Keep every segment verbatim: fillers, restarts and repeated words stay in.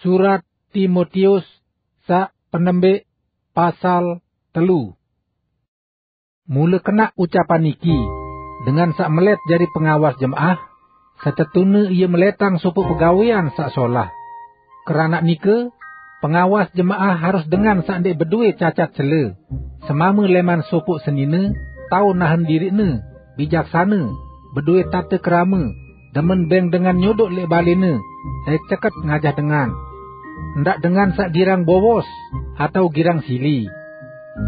Surat Timotius saq penembik, pasal telu. Mule kenaq ucapan niki, dengan saq melet jari pengawas jemaah, setetune ie meletang sopoq pegawean saq solah. Keranaq nike, pengawas jemaah harus dengan saq ndeq bedoe cacat cele, semame leman sopoq senine, tao nahen diriqne, bijaksane, bedoe tate kerame, demen beng dengan nyodoq leq balene, dait ceket ngajah dengan. Ndaq dengan saq girang bowos atau girang sili.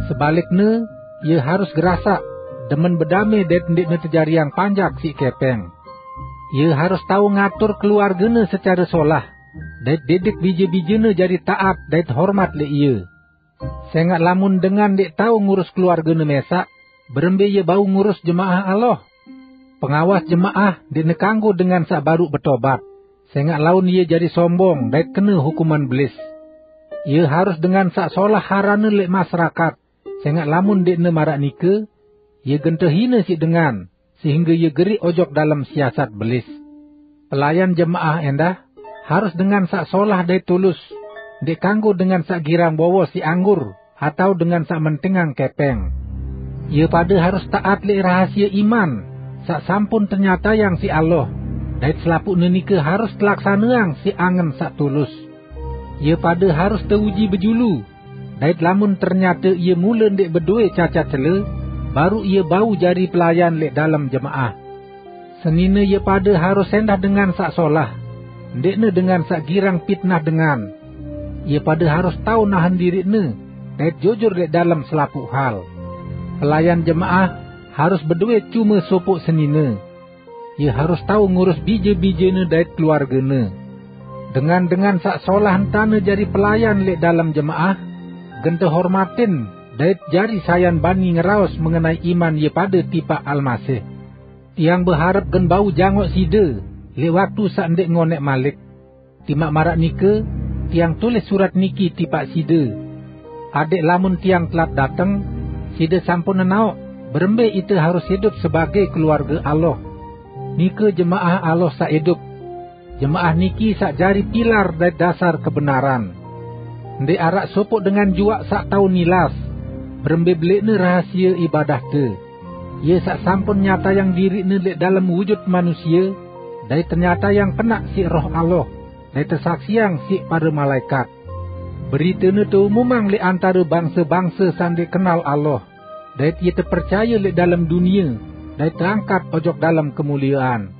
Sebalikne, ie harus gerasaq, demen bedame dait ndeqne tejariang panjak siq kepeng. Ie harus tao ngatur keluargene secare solah, dait didik bije-bijene jari taat dait hormat leq ie. Sengaq lamun dengan ndeq tao ngurus keluargene mesaq, berembe ie bau ngurus jemaah Allah? Pengawas jemaah ndeqne kanggo dengan saq baruq betobat, sengaq laun ie jari sombong dait kene hukuman belis. Ie harus dengan saq solah aranne leq masyarakat, sengaq lamun ndeqne maraq nike, ie gen tehine siq dengan, sehingge ie geriq ojok dalem siasat belis. Pelayan jemaah endah harus dengan saq solah dait tulus, ndeq kanggo dengan saq girang bowos siq anggur atau dengan saq mentingang kepeng. Ie pade harus taat leq rahasie iman saq sampun tenyatayang siq Allah, dait selapuqne nike harus telaksaneang siq angen saq tulus. Ie pade harus teuji bejulu, dait lamun ternyate ie mule ndeq bedoe cacat cele, baruq ie bau jari pelayan leq dalem jemaah. Senine ie pade harus endah dengan saq solah, ndeqne dengan saq girang pitnah dengan. Ie pade harus tao nahen diriqne, dait jujur leq dalem selapuq hal. Pelayan jemaah harus bedoe cume sopoq senine. Ie harus tao ngurus bije-bijene dait keluargene. Dengan-dengan saq solah entane jari pelayan leq dalem jemaah, gen tehormatin dait jari sayan bani ngeraos mengenai iman ie pade tipaq Almasih. Tiang beharep gen bau jangoq side leq waktu saq ndeq ngoneq malik. Timaq maraq nike, tiang tulis surat niki tipaq side, adeq lamun tiang telat dateng, side sampun nenaoq berembe ite harus idup sebage keluarge Allah. Nike jemaah Allah saq idup. Jemaah niki saq jari pilar dait dasar kebenaran. Ndeq araq sopoq dengan juaq saq tao nilas berembe beleqne rahasie ibadahte. Ie saq sampun nyatayang diriqne leq dalem wujut manusie, dait tenyatayang kenaq siq Roh Allah, dait tesaksiang siq pare malaekat. Beritene teumumang leq antare bangse-bangse saq ndeq kenal Allah, dait ie tepercaye leq dalem dunie, dait teangkat ojok dalem kemuliean.